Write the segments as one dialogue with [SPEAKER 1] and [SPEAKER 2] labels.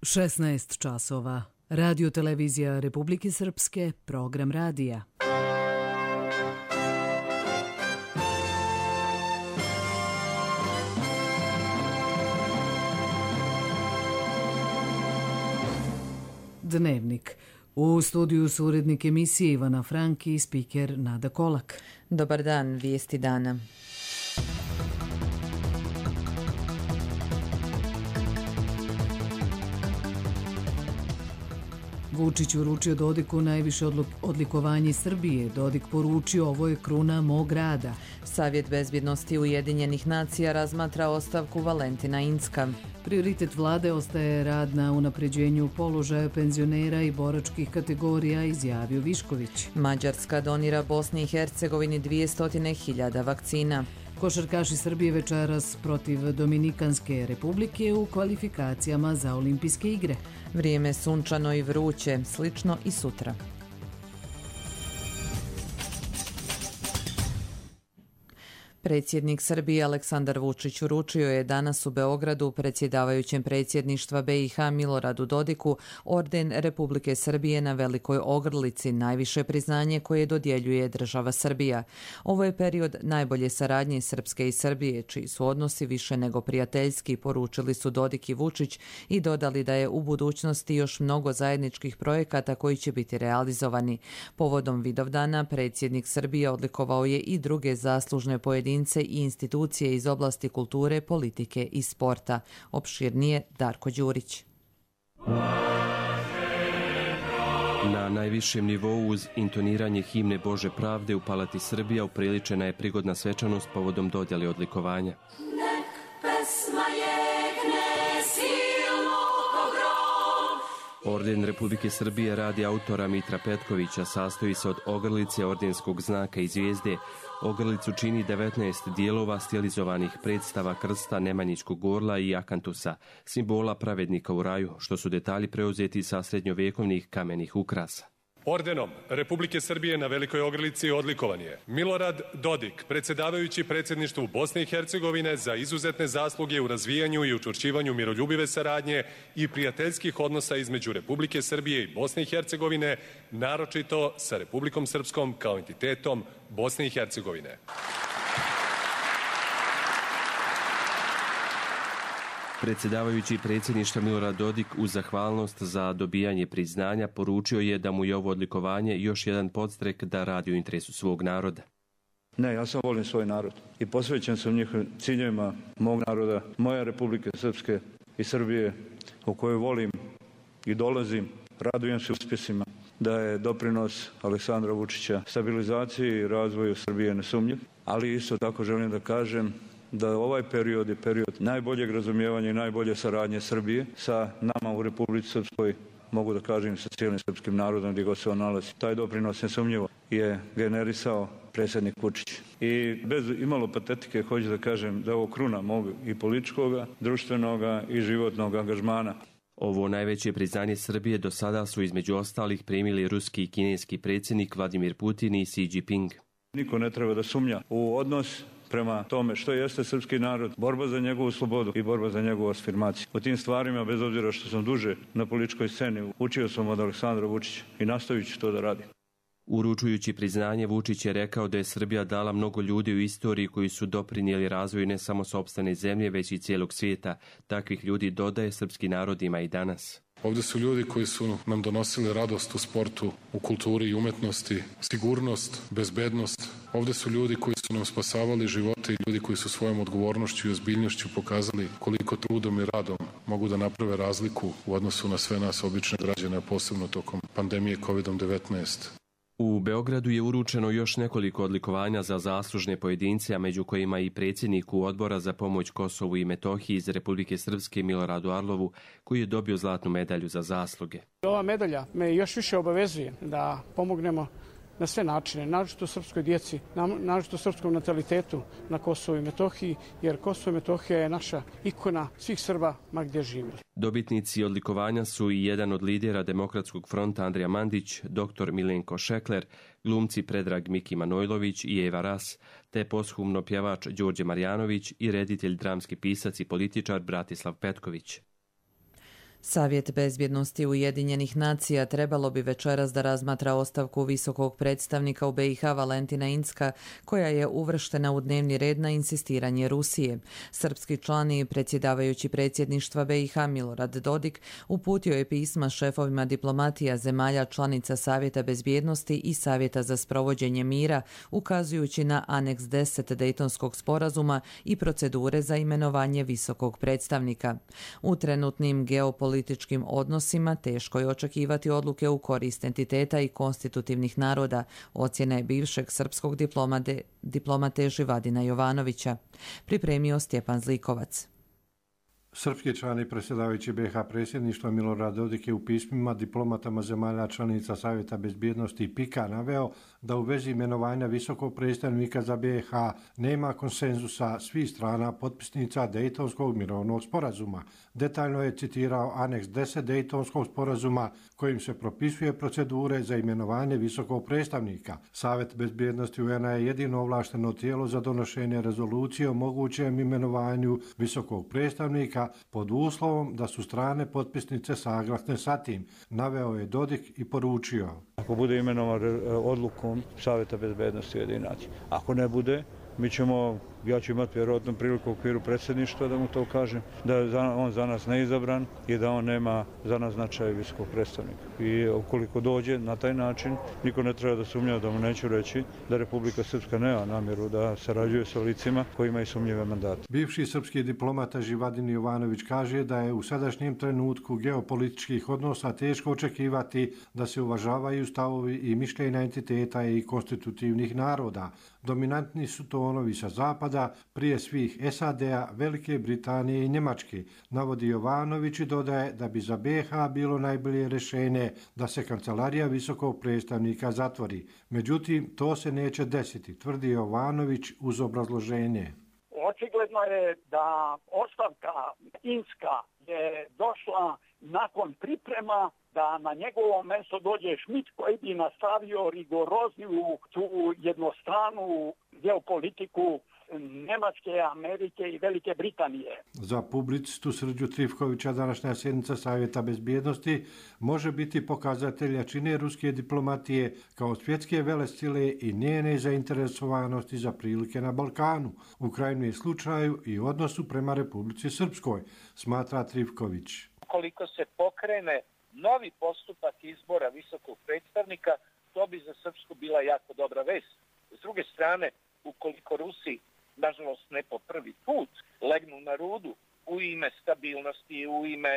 [SPEAKER 1] 16 časova. Radio televizija Republike Srpske, program radija. Dnevnik. U studiju su urednik emisije Ivana Franki i spiker Nada Kolak.
[SPEAKER 2] Dobar dan, vijesti dana.
[SPEAKER 1] Vučić uručio Dodiku najviše odlikovanje Srbije. Dodik poručio, ovo je kruna mog rada.
[SPEAKER 2] Savjet bezbjednosti Ujedinjenih nacija razmatra ostavku Valentina Incka.
[SPEAKER 1] Prioritet vlade ostaje rad na unapređenju položaja penzionera i boračkih kategorija, izjavio Višković.
[SPEAKER 2] Mađarska donira Bosni i Hercegovini 200.000 vakcina.
[SPEAKER 1] Košarkaši Srbije večeras protiv Dominikanske republike u kvalifikacijama za olimpijske igre.
[SPEAKER 2] Vrijeme sunčano i vruće, slično i sutra. Predsjednik Srbije Aleksandar Vučić uručio je danas u Beogradu predsjedavajućem predsjedništva BiH Miloradu Dodiku orden Republike Srbije na Velikoj Ogrlici, najviše priznanje koje dodjeljuje država Srbija. Ovo je period najbolje saradnje Srpske i Srbije, čiji su odnosi više nego prijateljski, poručili su Dodik i Vučić i dodali da je u budućnosti još mnogo zajedničkih projekata koji će biti realizovani. Povodom Vidovdana predsjednik Srbije odlikovao je i druge zaslužne pojedince i institucije iz oblasti kulture, politike i sporta. Opširnije Darko Đurić.
[SPEAKER 3] Na najvišem nivou uz intoniranje himne Bože pravde u Palati Srbija upriličena je prigodna svečanost povodom dodjele odlikovanja. Orden Republike Srbije radi autora Mitra Petkovića sastoji se od ogrlice, ordenskog znaka i zvijezde. Ogrlicu čini 19 dijelova stilizovanih predstava krsta, Nemanjićkog orla i akantusa, simbola pravednika u raju, što su detalji preuzeti sa srednjovekovnih kamenih ukrasa.
[SPEAKER 4] Ordenom Republike Srbije na Velikoj Ogrlici odlikovan je Milorad Dodik, predsjedavajući predsjedništvu Bosne i Hercegovine za izuzetne zasluge u razvijanju i učvršćivanju miroljubive saradnje i prijateljskih odnosa između Republike Srbije i Bosne i Hercegovine, naročito sa Republikom Srpskom kao entitetom Bosne i Hercegovine.
[SPEAKER 3] Predsjedavajući predsjedništva Milorad Dodik uz zahvalnost za dobijanje priznanja poručio je da mu je ovo odlikovanje još jedan podstrek da radi u interesu svog naroda.
[SPEAKER 5] Ne, ja sam volim svoj narod i posvećen sam njihovim ciljevima mog naroda, moje Republike Srpske i Srbije, u kojoj volim i dolazim, radujem se uspjesima, da je doprinos Aleksandra Vučića stabilizaciji i razvoju Srbije nesumnjiv, ali isto tako želim da kažem da ovaj period je period najboljeg razumijevanja i najbolje saradnje Srbije sa nama u Republici Srpskoj, mogu da kažem sa cijelim srpskim narodom gdje god se on nalazi. Taj doprinos nesumnjivo je generisao predsjednik Vučić. I bez imalo patetike hoću da kažem da je ovo kruna mog i političkoga, društvenoga i životnog angažmana.
[SPEAKER 3] Ovo najveće priznanje Srbije do sada su između ostalih primili ruski i kineski predsjednik Vladimir Putin i Xi Jinping.
[SPEAKER 5] Niko ne treba da sumnja u odnos prema tome što jeste srpski narod, borba za njegovu slobodu i borba za njegovu afirmaciju. O tim stvarima, bez obzira što sam duže na političkoj sceni, učio sam od Aleksandra Vučića i nastavit ću to da radim.
[SPEAKER 3] Uručujući priznanje, Vučić je rekao da je Srbija dala mnogo ljudi u istoriji koji su doprinijeli razvoju ne samo sopstvene zemlje, već i cijelog svijeta. Takvih ljudi, dodaje, srpski narod ima i danas.
[SPEAKER 6] Ovdje su ljudi koji su nam donosili radost u sportu, u kulturi i umetnosti, sigurnost, bezbednost. Ovdje su ljudi koji su nam spasavali živote i ljudi koji su svojom odgovornošću i ozbiljnošću pokazali koliko trudom i radom mogu da naprave razliku u odnosu na sve nas obične građane, posebno tokom pandemije COVID-19.
[SPEAKER 3] U Beogradu je uručeno još nekoliko odlikovanja za zaslužne pojedince, a među kojima i predsjedniku Odbora za pomoć Kosovu i Metohiji iz Republike Srpske Miloradu Arlovu, koji je dobio zlatnu medalju za zasluge.
[SPEAKER 7] Ova medalja me još više obavezuje da pomognemo na sve načine, naročito srpskoj djeci, naročito srpskom natalitetu na Kosovu i Metohiji, jer Kosovo i Metohija je naša ikona svih Srba ma gdje živjeli.
[SPEAKER 3] Dobitnici odlikovanja su i jedan od lidera Demokratskog fronta Andrija Mandić, dr. Milenko Šekler, glumci Predrag Miki Manojlović i Eva Ras, te poshumno pjevač Đorđe Marjanović i reditelj, dramski pisac i političar Bratislav Petković.
[SPEAKER 2] Savjet bezbjednosti Ujedinjenih nacija trebalo bi večeras da razmatra ostavku visokog predstavnika u BiH Valentina Incka, koja je uvrštena u dnevni red na insistiranje Rusije. Srpski član i predsjedavajući predsjedništva BiH Milorad Dodik uputio je pisma šefovima diplomatija zemalja članica Savjeta bezbjednosti i Savjeta za sprovođenje mira, ukazujući na aneks 10 Dejtonskog sporazuma i procedure za imenovanje visokog predstavnika. U trenutnim geopolitičkim odnosima teško je očekivati odluke u korist entiteta i konstitutivnih naroda, ocjena je bivšeg srpskog diplomate Živadina Jovanovića. Pripremio Stjepan Zlikovac.
[SPEAKER 8] Srpski član i predsjedavajući BiH predsjedništva Milorad Dodik je u pismima diplomatama zemalja članica Savjeta bezbjednosti i PIK-a naveo da u vezi imenovanja visokog predstavnika za BiH nema konsenzusa svih strana potpisnica Dejtonskog mirovnog sporazuma. Detaljno je citirao aneks 10 Dejtonskog sporazuma kojim se propisuje procedure za imenovanje visokog predstavnika. Savjet bezbjednosti UN-a je jedino ovlašteno tijelo za donošenje rezolucije o mogućem imenovanju visokog predstavnika pod uslovom da su strane potpisnice saglasne sa tim, naveo je Dodik i poručio.
[SPEAKER 5] Ako bude imenovan odlukom Savjeta bezbjednosti Ujedinjenih nacija, ako ne bude, ja ću imati vjerojatno priliku u okviru predsjedništva da mu to kažem, da je on za nas neizabran i da on nema za nas značaj visokog predstavnika. I ukoliko dođe na taj način, niko ne treba da sumnja, da mu neću reći da Republika Srpska nema namjeru da sarađuje sa licima koji imaju sumnjive mandate.
[SPEAKER 8] Bivši srpski diplomata Živadin Jovanović kaže da je u sadašnjem trenutku geopolitičkih odnosa teško očekivati da se uvažavaju stavovi i mišljenja entiteta i konstitutivnih naroda. Dominantni su tonovi sa zapada, prije svih SAD-a, Velike Britanije i Njemačke, navodi Jovanović i dodaje da bi za BiH bilo najbolje rješenje da se kancelarija visokog predstavnika zatvori. Međutim, to se neće desiti, tvrdi Jovanović uz obrazloženje.
[SPEAKER 9] Očigledno je da ostavka Incka je došla nakon priprema da na njegovo mjesto dođe Schmidt koji bi nastavio rigorozniju tu jednostranu geopolitiku Njemačke, Amerike i Velike Britanije.
[SPEAKER 8] Za publicistu Srđu Trifkovića današnja sjednica Savjeta bezbjednosti može biti pokazatelj jačine ruske diplomatije kao svjetske velesile i njene zainteresovanosti za prilike na Balkanu, u krajnjem slučaju i odnosu prema Republici Srpskoj, smatra Trifković.
[SPEAKER 10] Ukoliko se pokrene novi postupak izbora visokog predstavnika, to bi za Srpsku bila jako dobra vest. S druge strane, ukoliko Rusi, nažalost ne po prvi put, legnu na rudu u ime stabilnosti, u ime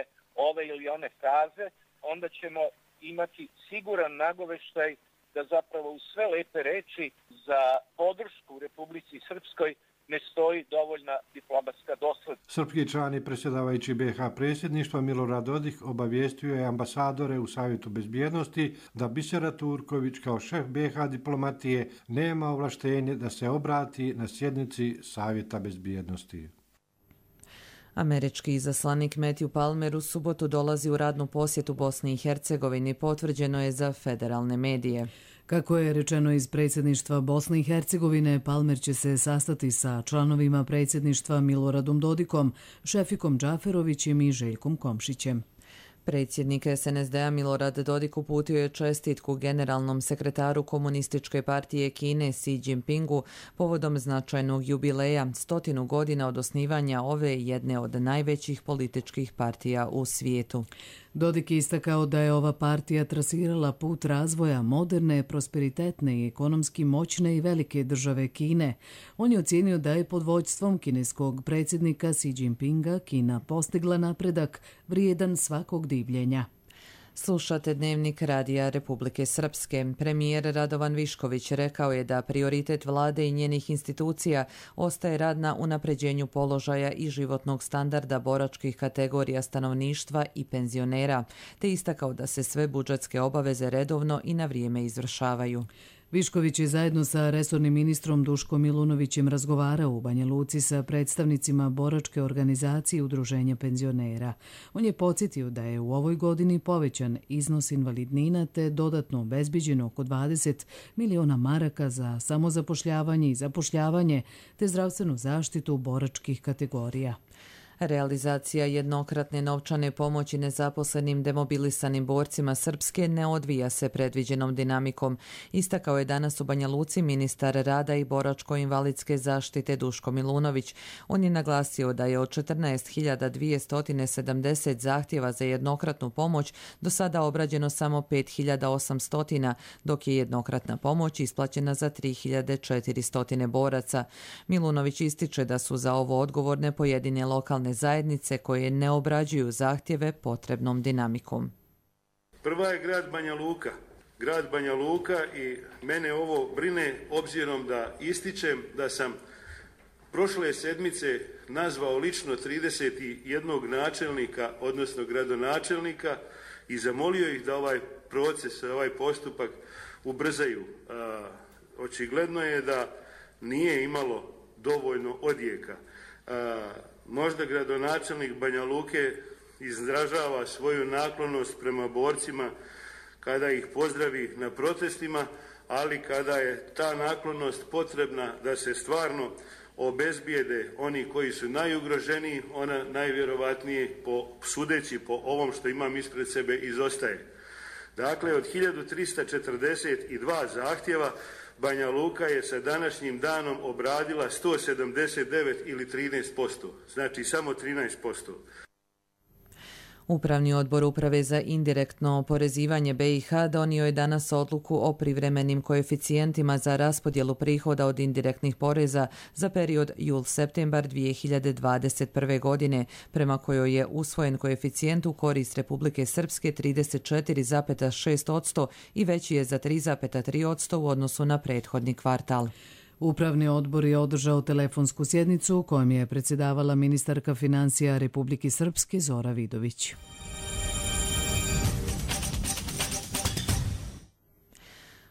[SPEAKER 10] ove ili one fraze, onda ćemo imati siguran nagoveštaj da zapravo u sve lepe reči za podršku Republici Srpskoj ne stoji dovoljna diplomatska doslednost.
[SPEAKER 8] Srpski član i predsjedavajući BiH predsjedništva Milorad Dodik obavijestio je ambasadore u Savjetu bezbjednosti da Bisera Turković kao šef BiH diplomatije nema ovlaštenje da se obrati na sjednici Savjeta bezbjednosti.
[SPEAKER 2] Američki izaslanik Matthew Palmer u subotu dolazi u radnu posjetu Bosni i Hercegovini, potvrđeno je za federalne medije.
[SPEAKER 1] Kako je rečeno iz predsjedništva Bosne i Hercegovine, Palmer će se sastati sa članovima predsjedništva Miloradom Dodikom, Šefikom Džaferovićem i Željkom Komšićem.
[SPEAKER 2] Predsjednik SNSD-a Milorad Dodik uputio je čestitku generalnom sekretaru Komunističke partije Kine Xi Jinpingu povodom značajnog jubileja 100 godina od osnivanja ove jedne od najvećih političkih partija u svijetu.
[SPEAKER 1] Dodik je istakao da je ova partija trasirala put razvoja moderne, prosperitetne i ekonomski moćne i velike države Kine. On je ocijenio da je pod vođstvom kineskog predsjednika Xi Jinpinga Kina postigla napredak vrijedan svakog divljenja.
[SPEAKER 2] Slušate Dnevnik Radija Republike Srpske. Premijer Radovan Višković rekao je da prioritet vlade i njenih institucija ostaje rad na unapređenju položaja i životnog standarda boračkih kategorija stanovništva i penzionera, te istakao da se sve budžetske obaveze redovno i na vrijeme izvršavaju.
[SPEAKER 1] Višković je zajedno sa resornim ministrom Duškom Milunovićem razgovarao u Banja Luci sa predstavnicima boračke organizacije Udruženja penzionera. On je podsjetio da je u ovoj godini povećan iznos invalidnina te dodatno obezbiđeno oko 20 miliona maraka za samozapošljavanje i zapošljavanje te zdravstvenu zaštitu boračkih kategorija.
[SPEAKER 2] Realizacija jednokratne novčane pomoći nezaposlenim demobilisanim borcima Srpske ne odvija se predviđenom dinamikom. Istakao je danas u Banja Luci ministar rada i boračko-invalidske zaštite Duško Milunović. On je naglasio da je od 14.270 zahtjeva za jednokratnu pomoć do sada obrađeno samo 5.800, dok je jednokratna pomoć isplaćena za 3.400 boraca. Milunović ističe da su za ovo odgovorne pojedine lokalne zajednice koje ne obrađuju zahtjeve potrebnom dinamikom.
[SPEAKER 11] Prva je grad Banja Luka. Grad Banja Luka i mene ovo brine obzirom da ističem da sam prošle sedmice nazvao lično 31 načelnika, odnosno gradonačelnika i zamolio ih da ovaj proces, ovaj postupak ubrzaju. Očigledno je da nije imalo dovoljno odjeka. Možda gradonačelnik Banja Luke izražava svoju naklonost prema borcima kada ih pozdravi na protestima, ali kada je ta naklonost potrebna da se stvarno obezbijede oni koji su najugroženiji, ona najvjerovatnije, sudeći po ovom što imam ispred sebe, izostaje. Dakle, od 1342 zahtjeva Banja Luka je sa današnjim danom obradila 179 ili 13%, znači samo 13%.
[SPEAKER 2] Upravni odbor Uprave za indirektno oporezivanje BiH donio je danas odluku o privremenim koeficijentima za raspodjelu prihoda od indirektnih poreza za period jul-septembar 2021. godine, prema kojoj je usvojen koeficijent u korist Republike Srpske 34,6% i veći je za 3,3% u odnosu na prethodni kvartal.
[SPEAKER 1] Upravni odbor je održao telefonsku sjednicu kojom je predsjedavala ministarka financija Republike Srpske Zora Vidović.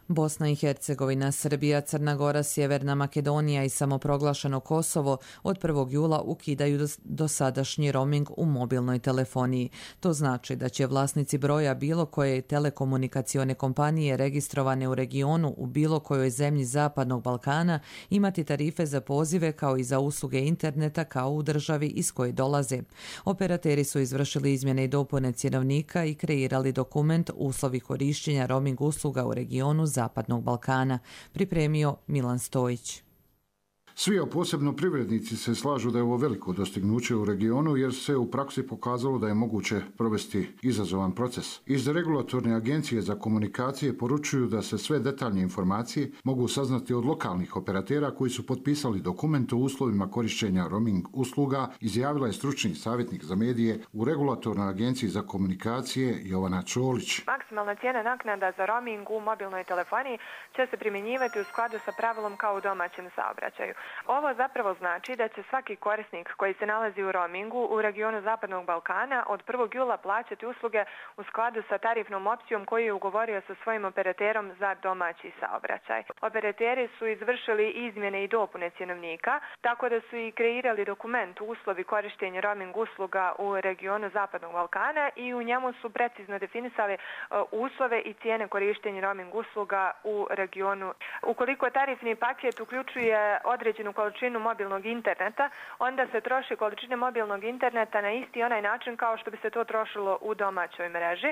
[SPEAKER 2] Bosna i Hercegovina, Srbija, Crna Gora, Sjeverna Makedonija i samoproglašeno Kosovo od 1. jula ukidaju dosadašnji roaming u mobilnoj telefoniji. To znači da će vlasnici broja bilo koje telekomunikacione kompanije registrovane u regionu u bilo kojoj zemlji Zapadnog Balkana imati tarife za pozive kao i za usluge interneta kao u državi iz koje dolaze. Operateri su izvršili izmjene i dopune cjenovnika i kreirali dokument Uslovi korišćenja roaming usluga u regionu Zapadnog Balkana, pripremio Milan Stojić.
[SPEAKER 12] Svi, a posebno privrednici, se slažu da je ovo veliko dostignuće u regionu jer se u praksi pokazalo da je moguće provesti izazovan proces. Iz regulatorne agencije za komunikacije poručuju da se sve detaljne informacije mogu saznati od lokalnih operatera koji su potpisali dokument o uslovima korišćenja roaming usluga, izjavila je stručni savjetnik za medije u regulatornoj agenciji za komunikacije Jovana Čolić.
[SPEAKER 13] Maksimalna cijena naknada za roaming u mobilnoj telefoniji će se primjenjivati u skladu sa pravilom kao u domaćem saobraćaju. Ovo zapravo znači da će svaki korisnik koji se nalazi u roamingu u regionu Zapadnog Balkana od 1. jula plaćati usluge u skladu sa tarifnom opcijom koju je ugovorio sa svojim operaterom za domaći saobraćaj. Operateri su izvršili izmjene i dopune cjenovnika, tako da su i kreirali dokument Uslovi korištenja roaming usluga u regionu Zapadnog Balkana i u njemu su precizno definisali uslove i cijene korištenja roaming usluga u regionu. Ukoliko tarifni paket uključuje određenu količinu mobilnog interneta, onda se troši količine mobilnog interneta na isti onaj način kao što bi se to trošilo u domaćoj mreži.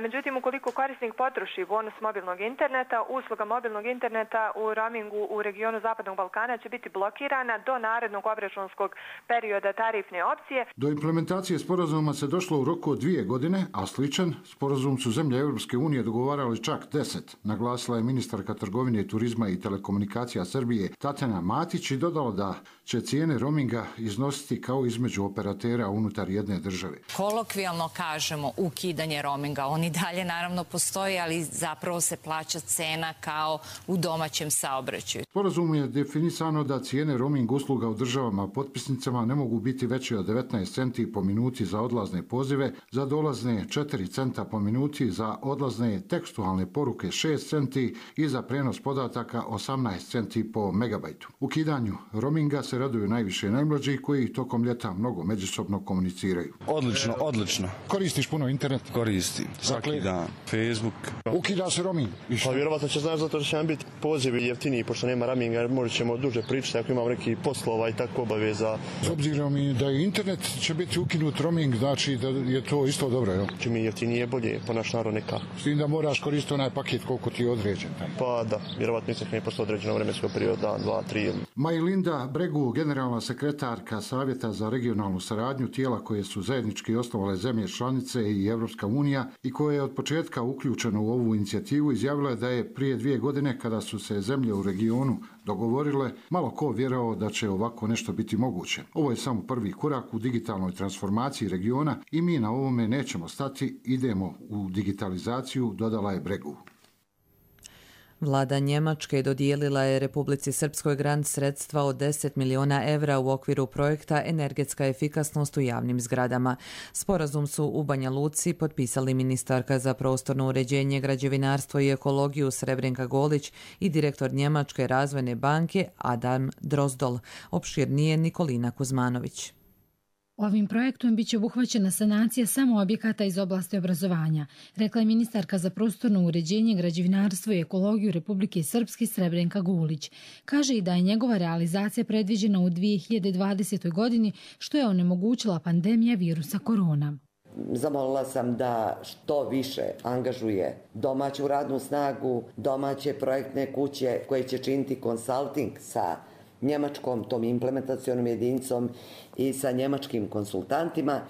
[SPEAKER 13] Međutim, ukoliko korisnik potroši bonus mobilnog interneta, usluga mobilnog interneta u roamingu u regionu Zapadnog Balkana će biti blokirana do narednog obračunskog perioda tarifne opcije.
[SPEAKER 12] Do implementacije sporazuma se došlo u roku od 2 godine, a sličan sporazum su zemlje Europske unije dogovarali čak 10, naglasila je ministarka trgovine, turizma i telekomunikacija Srbije Tatjana Matić i dodala da će cijene roaminga iznositi kao između operatera unutar jedne države.
[SPEAKER 14] Kolokvijalno kažemo ukidanje roaminga, on i dalje naravno postoji, ali zapravo se plaća cena kao u domaćem saobraćaju.
[SPEAKER 12] Sporazum je definisano da cijene roaming usluga u državama potpisnicama ne mogu biti veće od 19 centi po minuti za odlazne pozive, za dolazne 4 centa po minuti, za odlazne tekstualne poruke 6 centi i za prenos podataka 18 centi po megabajtu. Ukidanje Ukidanju roaminga se raduju najviše najmlađi koji tokom ljeta mnogo međusobno komuniciraju.
[SPEAKER 15] Odlično.
[SPEAKER 12] Koristiš puno internet?
[SPEAKER 15] Koristim. Svaki dan. Facebook.
[SPEAKER 12] Ukida se roaming.
[SPEAKER 16] Pa vjerovatno će znaš zato što će nam biti pozivi jeftiniji, pošto nema roaminga, možda ćemo duže pričati ako imamo neki poslova i tako obaveza.
[SPEAKER 12] S obzirom i da je internet će biti ukinut roaming, znači da je to isto dobro, jel?
[SPEAKER 16] Če mi jeftinije bolje, po naš narod neka.
[SPEAKER 12] S tim da moraš koristiti onaj paket koliko ti je određen.
[SPEAKER 16] Pa da, vjerovatno istekne posle određenog vremenskog perioda, 2, 3.
[SPEAKER 12] Majlinda Bregu, generalna sekretarka Savjeta za regionalnu saradnju, tijela koje su zajednički osnovale zemlje članice i Evropska unija i koje je od početka uključeno u ovu inicijativu, izjavila je da je prije 2 godine kada su se zemlje u regionu dogovorile, malo ko vjerovao da će ovako nešto biti moguće. Ovo je samo prvi korak u digitalnoj transformaciji regiona i mi na ovome nećemo stati, idemo u digitalizaciju, dodala je Bregu.
[SPEAKER 2] Vlada Njemačke dodijelila je Republici Srpskoj grant sredstva od 10 miliona evra u okviru projekta Energetska efikasnost u javnim zgradama. Sporazum su u Banja Luci potpisali ministarka za prostorno uređenje, građevinarstvo i ekologiju Srebrenka Golić i direktor Njemačke razvojne banke Adam Drozdol. Opširnije Nikolina Kuzmanović.
[SPEAKER 17] Ovim projektom biće obuhvaćena sanacija samo objekata iz oblasti obrazovanja, rekla je ministarka za prostorno uređenje, građevinarstvo i ekologiju Republike Srpske Srebrenka Gulić. Kaže i da je njegova realizacija predviđena u 2020. godini, što je onemogućila pandemija virusa korona.
[SPEAKER 18] Zamolila sam da što više angažuje domaću radnu snagu, domaće projektne kuće koje će činiti konsulting sa njemačkom tom implementacionom jedinicom i sa njemačkim konsultantima,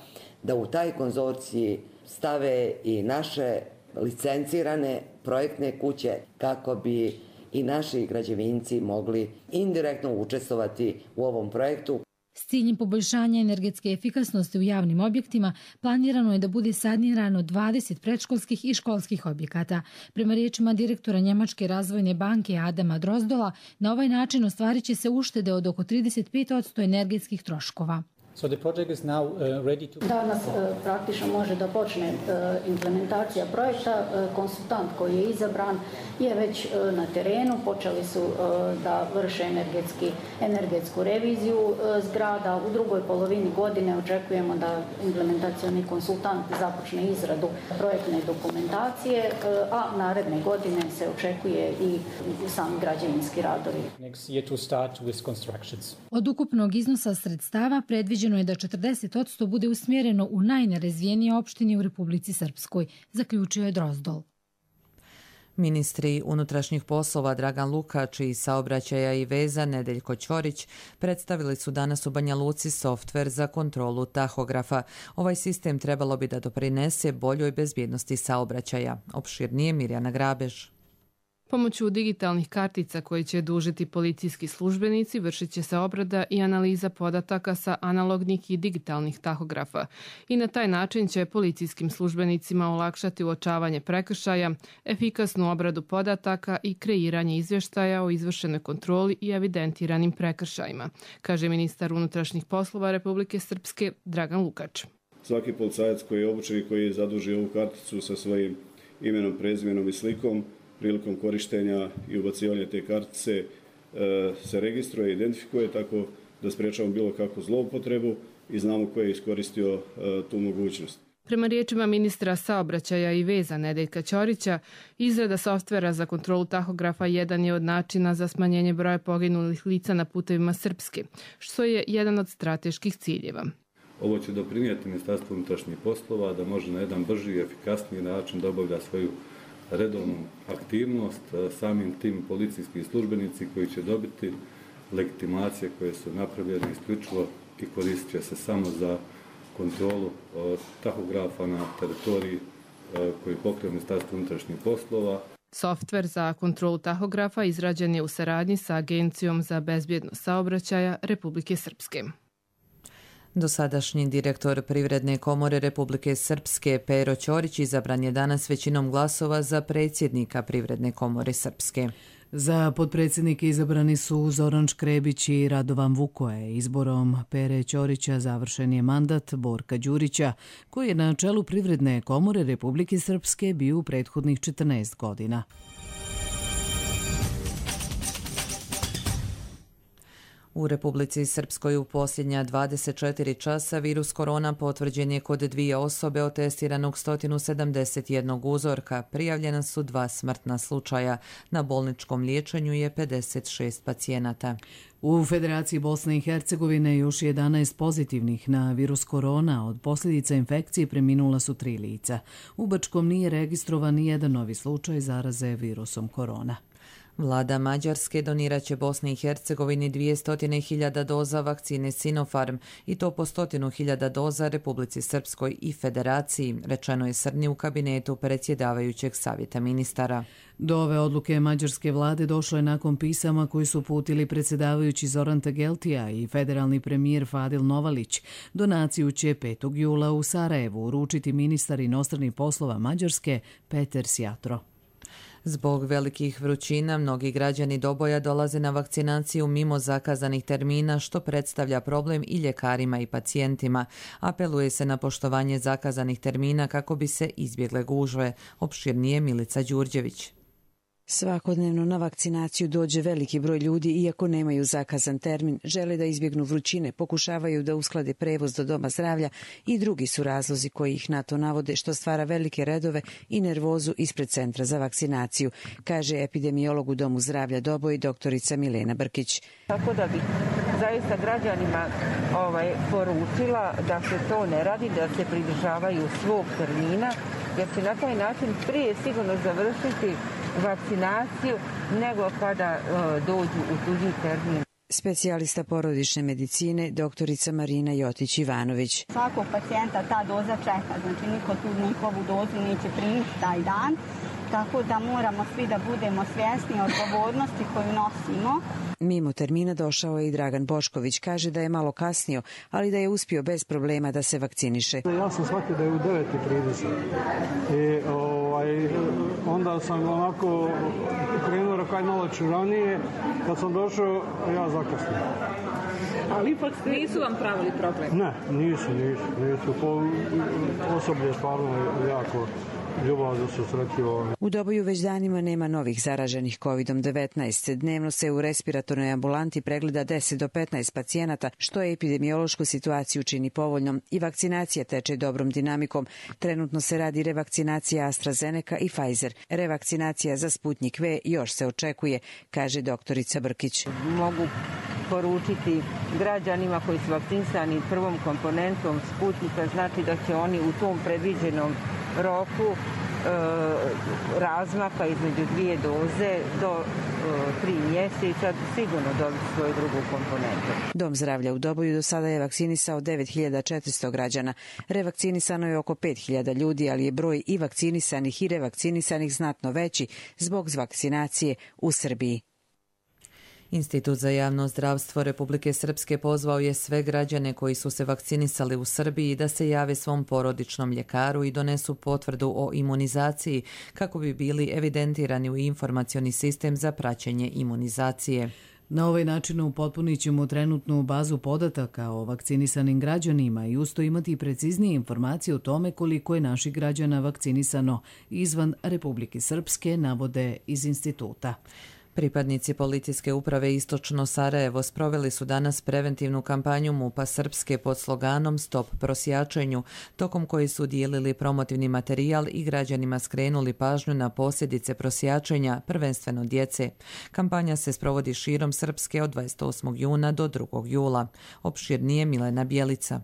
[SPEAKER 18] da u taj konzorciji stave i naše licencirane projektne kuće kako bi i naši građevinci mogli indirektno učestvovati u ovom projektu.
[SPEAKER 17] S ciljem poboljšanja energetske efikasnosti u javnim objektima planirano je da bude sanirano 20 predškolskih i školskih objekata. Prema riječima direktora Njemačke razvojne banke Adama Drozdola, na ovaj način ostvarit će se uštede od oko 35% energetskih troškova.
[SPEAKER 19] Danas praktično može da počne implementacija projekta. Konsultant koji je izabran je već na terenu. Počeli su da vrše energetsku reviziju zgrada. U drugoj polovini godine očekujemo da implementacioni konsultant započne izradu projektne dokumentacije, a naredne godine se očekuje i sami građevinski radovi.
[SPEAKER 17] Od ukupnog iznosa sredstava predviđeno je da 40% bude usmjereno u najnerazvijenije opštine u Republici Srpskoj, zaključio je Drozdol.
[SPEAKER 2] Ministri unutrašnjih poslova Dragan Lukač i saobraćaja i veza Nedeljko Ćorić predstavili su danas u Banja Luci softver za kontrolu tahografa. Ovaj sistem trebalo bi da doprinese boljoj bezbjednosti saobraćaja. Opširnije Mirjana Grabež.
[SPEAKER 20] Pomoću digitalnih kartica koje će dužiti policijski službenici vršit će se obrada i analiza podataka sa analognih i digitalnih tahografa i na taj način će policijskim službenicima olakšati uočavanje prekršaja, efikasnu obradu podataka i kreiranje izvještaja o izvršenoj kontroli i evidentiranim prekršajima, kaže ministar unutrašnjih poslova Republike Srpske Dragan Lukač.
[SPEAKER 21] Svaki policajac koji je obučen i koji je zadužio ovu karticu sa svojim imenom, prezimenom i slikom prilikom korištenja i ubacivanja te kartice se registruje i identifikuje tako da sprečavamo bilo kakvu zloupotrebu i znamo ko je iskoristio tu mogućnost.
[SPEAKER 20] Prema riječima ministra saobraćaja i veza Nedeljka Ćorića, izrada softvera za kontrolu tahografa jedan je od načina za smanjenje broja poginulih lica na putevima Srpske, što je jedan od strateških ciljeva.
[SPEAKER 22] Ovo će doprinijeti Ministarstvu unutrašnjih poslova da može na jedan brži i efikasniji način da obavlja svoju redovnu aktivnost, samim tim policijski službenici koji će dobiti legitimacije koje su napravljene isključivo i koristit će se samo za kontrolu tahografa na teritoriji koji pokriva Ministarstvo unutrašnjih poslova.
[SPEAKER 20] Softver za kontrolu tahografa izrađen je u saradnji sa Agencijom za bezbjednost saobraćaja Republike Srpske.
[SPEAKER 2] Dosadašnji direktor Privredne komore Republike Srpske Pero Ćorić izabran je danas većinom glasova za predsjednika Privredne komore Srpske.
[SPEAKER 1] Za potpredsjednike izabrani su Zoran Škrebić i Radovan Vukoje. Izborom Pere Ćorića završen je mandat Borka Đurića, koji je na čelu Privredne komore Republike Srpske bio u prethodnih 14 godina.
[SPEAKER 2] U Republici Srpskoj u posljednja 24 časa virus korona potvrđen je kod 2 osobe od testiranog 171 uzorka. Prijavljena su 2 smrtna slučaja. Na bolničkom liječenju je 56 pacijenata.
[SPEAKER 1] U Federaciji Bosne i Hercegovine još 11 pozitivnih na virus korona. Od posljedica infekcije preminula su 3 lica. U Bačkom nije registrovan ni jedan novi slučaj zaraze virusom korona.
[SPEAKER 2] Vlada Mađarske donirat će Bosni i Hercegovini 200.000 doza vakcine Sinopharm i to po 100.000 doza Republici Srpskoj i Federaciji, rečeno je Srni u kabinetu predsjedavajućeg savjeta ministara.
[SPEAKER 1] Do ove odluke mađarske vlade došlo je nakon pisama koji su uputili predsjedavajući Zoran Tegeltija i federalni premijer Fadil Novalić. Donaciju će 5. jula u Sarajevu uručiti ministar inostranih poslova Mađarske Peter Sjatro.
[SPEAKER 2] Zbog velikih vrućina, mnogi građani Doboja dolaze na vakcinaciju mimo zakazanih termina, što predstavlja problem i ljekarima i pacijentima. Apeluje se na poštovanje zakazanih termina kako bi se izbjegle gužve. Opširnije Milica Đurđević.
[SPEAKER 4] Svakodnevno na vakcinaciju dođe veliki broj ljudi, iako nemaju zakazan termin, žele da izbjegnu vrućine, pokušavaju da usklade prevoz do doma zdravlja i drugi su razlozi koji ih na to navode, što stvara velike redove i nervozu ispred centra za vakcinaciju, kaže epidemiolog u Domu zdravlja Doboj doktorica Milena Brkić.
[SPEAKER 6] Tako da bih zaista građanima poručila da se to ne radi, da se pridržavaju svog termina, jer će na taj način prije sigurno završiti vakcinaciju nego kada dođu u tuđi termin.
[SPEAKER 4] Specijalista porodične medicine doktorica Marina Jotić-Ivanović.
[SPEAKER 23] Svakog pacijenta ta doza čeka, znači niko tu nikovu dozu neće primiti taj dan, tako da moramo svi da budemo svjesni odgovornosti koju nosimo.
[SPEAKER 4] Mimo termina došao je i Dragan Bošković, kaže da je malo kasnio, ali da je uspio bez problema da se vakciniše.
[SPEAKER 24] Ja sam shvatio da je u 9:30 i onda sam onako krenuo rakaj malo ranije, kad sam došao ja zakasnio.
[SPEAKER 25] Ali ipak nisu vam pravili problem?
[SPEAKER 24] Ne, nisu. Osoblje stvarno jako ljubazno se sretio.
[SPEAKER 4] U Doboju već danima nema novih zaraženih COVID-19. Dnevno se u respiratornoj ambulanti pregleda 10 do 15 pacijenata, što je epidemiološku situaciju čini povoljnom i vakcinacija teče dobrom dinamikom. Trenutno se radi revakcinacija AstraZeneca i Pfizer. Revakcinacija za Sputnik V još se očekuje, kaže doktorica Brkić.
[SPEAKER 6] Mogu poručiti građanima koji su vakcinisani prvom komponentom Sputnika, znači da će oni u tom predviđenom roku razmaka između 2 doze do 3 mjeseca sigurno dobiti svoju drugu komponentu.
[SPEAKER 4] Dom zdravlja u Doboju do sada je vakcinisao 9400 građana. Revakcinisano je oko 5000 ljudi, ali je broj i vakcinisanih i revakcinisanih znatno veći zbog vakcinacije u Srbiji.
[SPEAKER 2] Institut za javno zdravstvo Republike Srpske pozvao je sve građane koji su se vakcinisali u Srbiji da se jave svom porodičnom ljekaru i donesu potvrdu o imunizaciji kako bi bili evidentirani u informacioni sistem za praćenje imunizacije.
[SPEAKER 1] Na ovaj način upotpunit ćemo trenutnu bazu podataka o vakcinisanim građanima i usto imati preciznije informacije o tome koliko je naših građana vakcinisano izvan Republike Srpske, navode iz instituta.
[SPEAKER 2] Pripadnici policijske uprave Istočno Sarajevo sproveli su danas preventivnu kampanju MUP-a Srpske pod sloganom Stop prosjačenju, tokom koji su dijelili promotivni materijal i građanima skrenuli pažnju na posljedice prosjačenja, prvenstveno djece. Kampanja se sprovodi širom Srpske od 28. juna do 2. jula. Opširnije Milena Bjelica.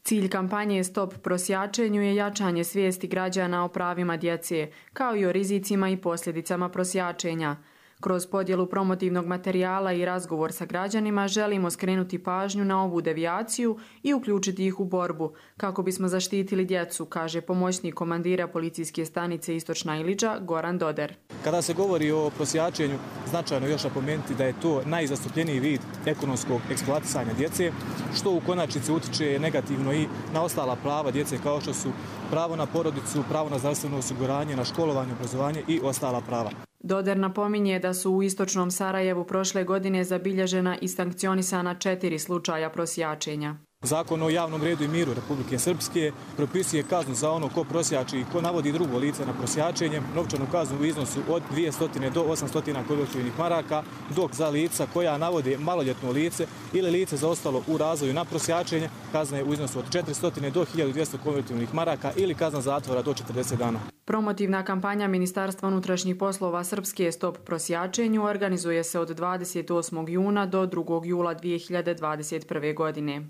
[SPEAKER 26] Cilj kampanje Stop prosjačenju je jačanje svijesti građana o pravima djece, kao i o rizicima i posljedicama prosjačenja. Kroz podjelu promotivnog materijala i razgovor sa građanima želimo skrenuti pažnju na ovu devijaciju i uključiti ih u borbu, kako bismo zaštitili djecu, kaže pomoćnik komandira policijske stanice Istočna Iliđa Goran Doder.
[SPEAKER 27] Kada se govori o prosjačenju, značajno još napomenuti da je to najzastupljeniji vid ekonomskog eksploatisanja djece, što u konačnici utiče negativno i na ostala prava djece kao što su pravo na porodicu, pravo na zdravstveno osiguranje, na školovanje, obrazovanje i ostala prava.
[SPEAKER 26] Doder napominje da su u Istočnom Sarajevu prošle godine zabilježena i sankcionisana 4 slučaja prosjačenja.
[SPEAKER 27] Zakon o javnom redu i miru Republike Srpske propisuje kaznu za ono ko prosjači i ko navodi drugo lice na prosjačenje, novčanu kaznu u iznosu od 200 do 800 konvertibilnih maraka, dok za lica koja navode maloljetno lice ili lice zaostalo u razvoju na prosjačenje, kazna je u iznosu od 400 do 1200 konvertibilnih maraka ili kazna zatvora do 40 dana.
[SPEAKER 26] Promotivna kampanja Ministarstva unutrašnjih poslova Srpske Stop prosjačenju organizuje se od 28. juna do 2. jula 2021. godine.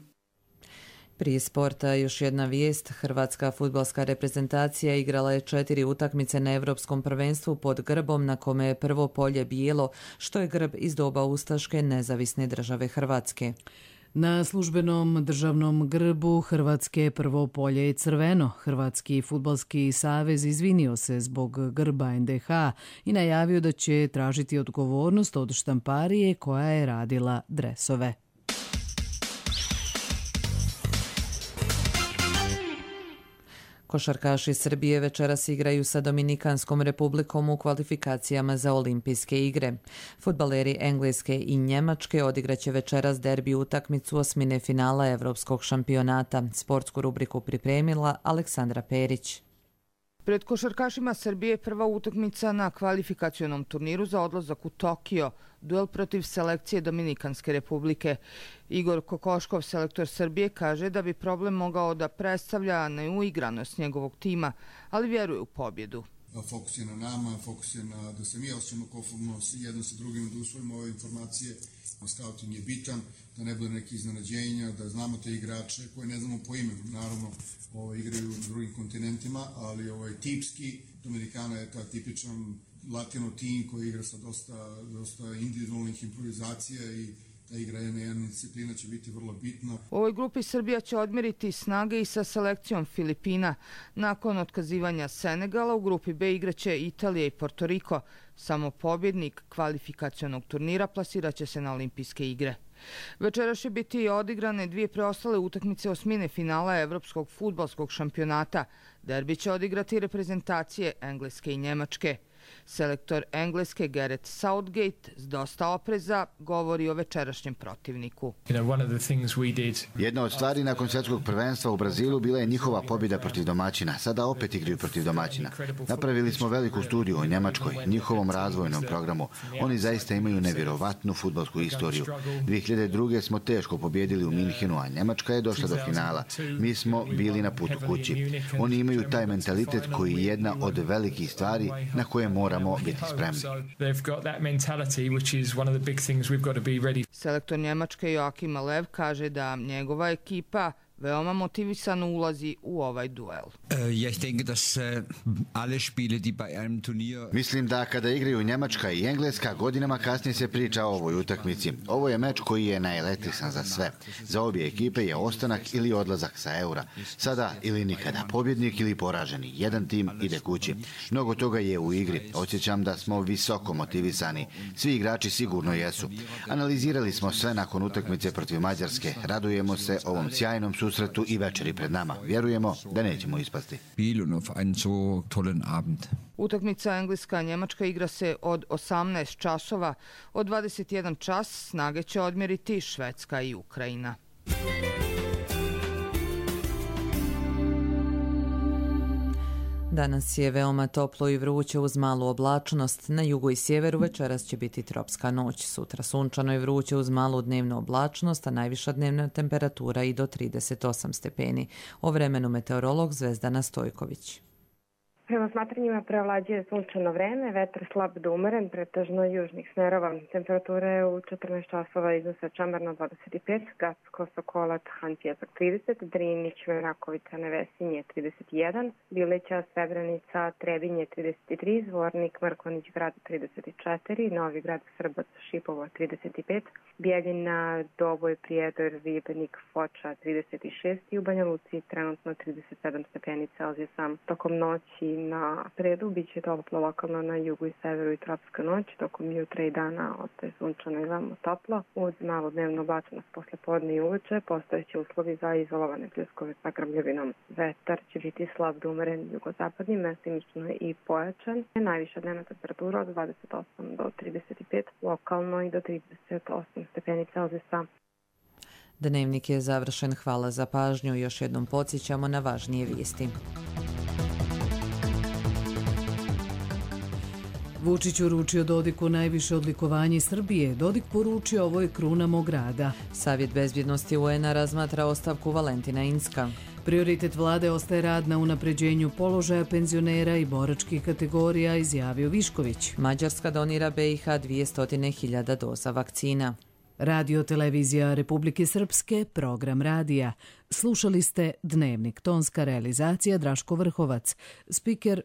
[SPEAKER 2] Prije sporta još jedna vijest. Hrvatska fudbalska reprezentacija igrala je 4 utakmice na Evropskom prvenstvu pod grbom na kome je prvo polje bijelo, što je grb iz doba ustaške nezavisne države Hrvatske.
[SPEAKER 1] Na službenom državnom grbu Hrvatske prvo polje je crveno. Hrvatski fudbalski savez izvinio se zbog grba NDH i najavio da će tražiti odgovornost od štamparije koja je radila dresove. Košarkaši Srbije večeras igraju sa Dominikanskom republikom u kvalifikacijama za olimpijske igre. Fudbaleri Engleske i Njemačke odigraće večeras derbi utakmicu osmine finala Evropskog šampionata. Sportsku rubriku pripremila Aleksandra Perić.
[SPEAKER 3] Pred košarkašima Srbije prva utakmica na kvalifikacionom turniru za odlazak u Tokio, duel protiv selekcije Dominikanske republike. Igor Kokoškov, selektor Srbije, kaže da bi problem mogao da predstavlja neuigranost njegovog tima, ali vjeruje u pobjedu.
[SPEAKER 5] Fokus je na nama, fokus je na da se mi osjećamo konformno jedno sa drugim, da usvojimo ove informacije. Scouting je bitan, da ne bude neki iznenađenja, da znamo te igrače koje ne znamo po imenu. Naravno, igraju na drugim kontinentima, ali tipski Dominikana je ta tipičan latino tim koji igra sa dosta individualnih improvizacija i ta igra jedna disciplina će biti vrlo bitna.
[SPEAKER 3] U ovoj grupi Srbija će odmjeriti snage i sa selekcijom Filipina. Nakon otkazivanja Senegala u grupi B igraće Italija i Porto Riko. Samo pobjednik kvalifikacionog turnira plasirat će se na olimpijske igre. Večeras će biti odigrane dvije preostale utakmice osmine finala Evropskog fudbalskog šampionata. Derbi će odigrati reprezentacije Engleske i Njemačke. Selektor Engleske Gareth Southgate s dosta opreza govori o večerašnjem protivniku.
[SPEAKER 7] Jedna od stvari nakon svjetskog prvenstva u Brazilu bila je njihova pobjeda protiv domaćina. Sada opet igraju protiv domaćina. Napravili smo veliku studiju o Njemačkoj, njihovom razvojnom programu. Oni zaista imaju nevjerovatnu fudbalsku istoriju. 2002. smo teško pobjedili u Minhenu, a Njemačka je došla do finala. Mi smo bili na putu kući. Oni imaju taj mentalitet koji je jedna od velikih stvari na koje moramo biti spremni.
[SPEAKER 3] Selektor Njemačke Joachim Löw kaže da njegova ekipa veoma motivisano ulazi u ovaj duel.
[SPEAKER 7] Mislim da kada igraju Njemačka i Engleska, godinama kasnije se priča o ovoj utakmici. Ovo je meč koji je najelektrisan za sve. Za obje ekipe je ostanak ili odlazak sa eura. Sada ili nikada. Pobjednik ili poraženi. Jedan tim ide kući. Mnogo toga je u igri. Osjećam da smo visoko motivisani. Svi igrači sigurno jesu. Analizirali smo sve nakon utakmice protiv Mađarske. Radujemo se ovom sjajnom susretu i večeri pred nama. Vjerujemo da nećemo ispasti.
[SPEAKER 3] Utakmica Engleska-Njemačka igra se od 18 časova. Od 21 čas snage će odmjeriti Švedska i Ukrajina.
[SPEAKER 2] Danas je veoma toplo i vruće uz malu oblačnost. Na jugu i sjeveru večeras će biti tropska noć. Sutra sunčano i vruće uz malu dnevnu oblačnost, a najviša dnevna temperatura i do 38 stepeni. O vremenu meteorolog Zvezdana Stojković.
[SPEAKER 8] Prema smatranjima prevlađuje sunčano vreme, vetar slab do umeren, pretežno južnih smerova. Temperatura je u 14 časova iznose Čamarno 25, Gacko, Sokolat, Han Pjesak 30, Drinić, Merakovica, Nevesinje 31, Bileća, Srebrenica, Trebinje 33, Zvornik, Mrkonić, Grad 34, Novi Grad, Srbac, Šipovo 35, Bijeljina, Doboj, Prijedor, Ribenik, Foča 36 i u Banja Luci trenutno 37 stepeni Celzijusa. Tokom noći na sredu biće toplo lokalno na jugu i severu i tropska noć, tokom jutra i dana ostaje sunčano i veoma toplo. Uz malo dnevnu oblačenost posle podne i uveče postojeće uslovi za izolovane pljuskove sa grmljavinom. Vetar će biti slab do umeren jugozapadnim, mestimično i pojačan. Najviša dnevna temperatura od 28 do 35, lokalno i do 38 stepeni Celzijusa.
[SPEAKER 2] Dnevnik je završen. Hvala za pažnju. Još jednom podsjećamo na važnije vijesti.
[SPEAKER 1] Vučić uručio Dodiku najviše odlikovanje Srbije. Dodik poručio: ovo je kruna mog rada.
[SPEAKER 2] Savjet bezbjednosti UN-a razmatra ostavku Valentina Inzka.
[SPEAKER 1] Prioritet vlade ostaje rad na unapređenju položaja penzionera i boračkih kategorija, izjavio Višković.
[SPEAKER 2] Mađarska donira BiH 200.000 doza vakcina.
[SPEAKER 1] Radio televizija Republike Srpske, program radija. Slušali ste Dnevnik, tonska realizacija Draško Vrhovac, spiker